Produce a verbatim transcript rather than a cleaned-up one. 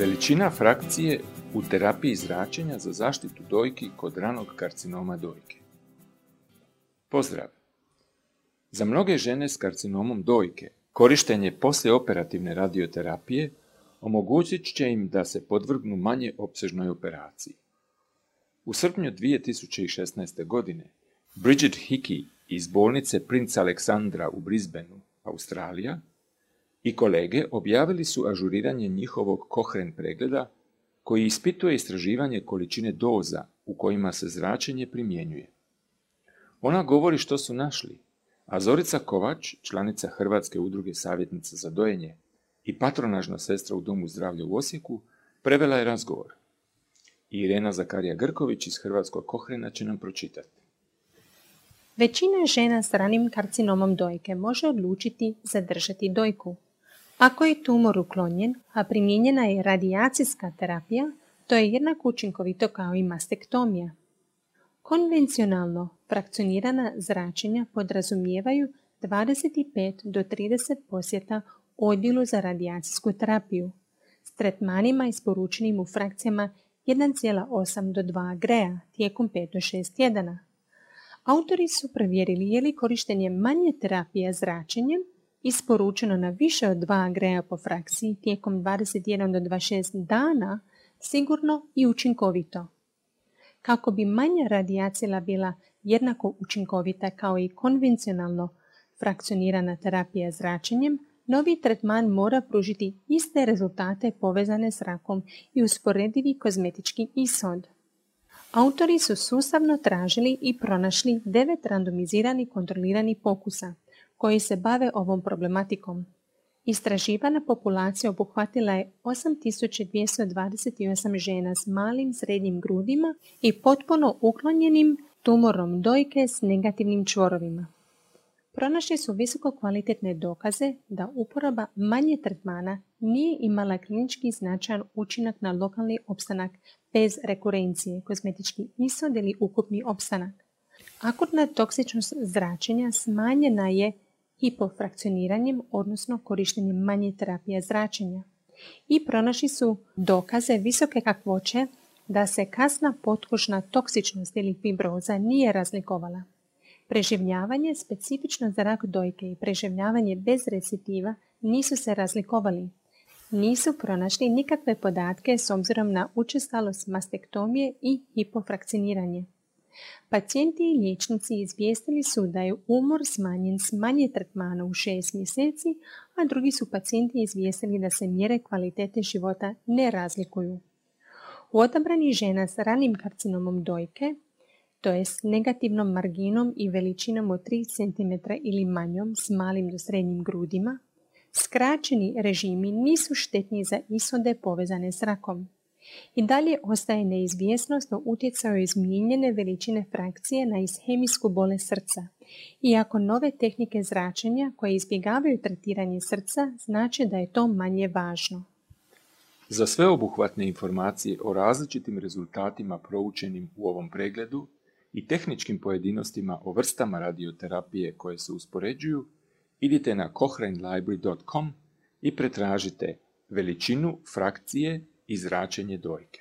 Veličina frakcije u terapiji zračenja za zaštitu dojki kod ranog karcinoma dojke. Pozdrav! Za mnoge žene s karcinomom dojke korištenje poslijeoperativne radioterapije omogućit će im da se podvrgnu manje opsežnoj operaciji. U srpnju dvije tisuće šesnaeste. godine Bridget Hickey iz bolnice Prince Aleksandra u Brisbaneu, Australija, i kolege objavili su ažuriranje njihovog Cochrane pregleda koji ispituje istraživanje količine doza u kojima se zračenje primjenjuje. Ona govori što su našli, a Zorica Kovač, članica Hrvatske udruge savjetnica za dojenje i patronažna sestra u Domu zdravlja u Osijeku, prevela je razgovor. Irena Zakarija Grković iz Hrvatskog Cochrana će nam pročitati. Većina žena s ranim karcinomom dojke može odlučiti zadržati dojku. Ako je tumor uklonjen, a primijenjena je radijacijska terapija, to je jednako učinkovito kao i mastektomija. Konvencionalno frakcionirana zračenja podrazumijevaju dvadeset pet do trideset posjeta odjelu za radijacijsku terapiju s tretmanima isporučenim u frakcijama jedan zarez osam do dva greja tijekom pet do šest tjedana. Autori su provjerili je li korištenje manje terapije zračenjem isporučeno na više od dva greja po frakciji tijekom dvadeset jedan do dvadeset šest dana sigurno i učinkovito. Kako bi manja radijacija bila jednako učinkovita kao i konvencionalno frakcionirana terapija zračenjem, novi tretman mora pružiti iste rezultate povezane s rakom i usporedivi kozmetički ishod. Autori su sustavno tražili i pronašli devet randomiziranih kontroliranih pokusa koji se bave ovom problematikom. Istraživana populacija obuhvatila je osam tisuća dvjesto dvadeset osam žena s malim srednjim grudima i potpuno uklonjenim tumorom dojke s negativnim čvorovima. Pronašli su visoko kvalitetne dokaze da uporaba manje tretmana nije imala klinički značajan učinak na lokalni opstanak bez rekurencije, kozmetički ishod ili ukupni opstanak. Akutna toksičnost zračenja smanjena je hipofrakcioniranjem, odnosno korištenjem manje terapije zračenja. I pronašli su dokaze visoke kakvoće da se kasna potkožna toksičnost ili fibroza nije razlikovala. Preživljavanje specifično za rak dojke i preživljavanje bez recidiva nisu se razlikovali. Nisu pronašli nikakve podatke s obzirom na učestalost mastektomije i hipofrakcioniranje. Pacijenti i liječnici izvijestili su da je umor smanjen s manje tretmana u šest mjeseci, a drugi su pacijenti izvijestili da se mjere kvalitete života ne razlikuju. U odabranih žena s ranim karcinomom dojke, to je s negativnom marginom i veličinom od tri centimetra ili manjom s malim do srednjim grudima, skraćeni režimi nisu štetni za ishode povezane s rakom. I dalje ostaje neizvjesnost o utjecaju izmijenjene veličine frakcije na ishemijsku bolest srca, iako nove tehnike zračenja koje izbjegavaju tretiranje srca znači da je to manje važno. Za sveobuhvatne informacije o različitim rezultatima proučenim u ovom pregledu i tehničkim pojedinostima o vrstama radioterapije koje se uspoređuju, idite na cochrane library dot com i pretražite veličinu frakcije i zračenje dojke.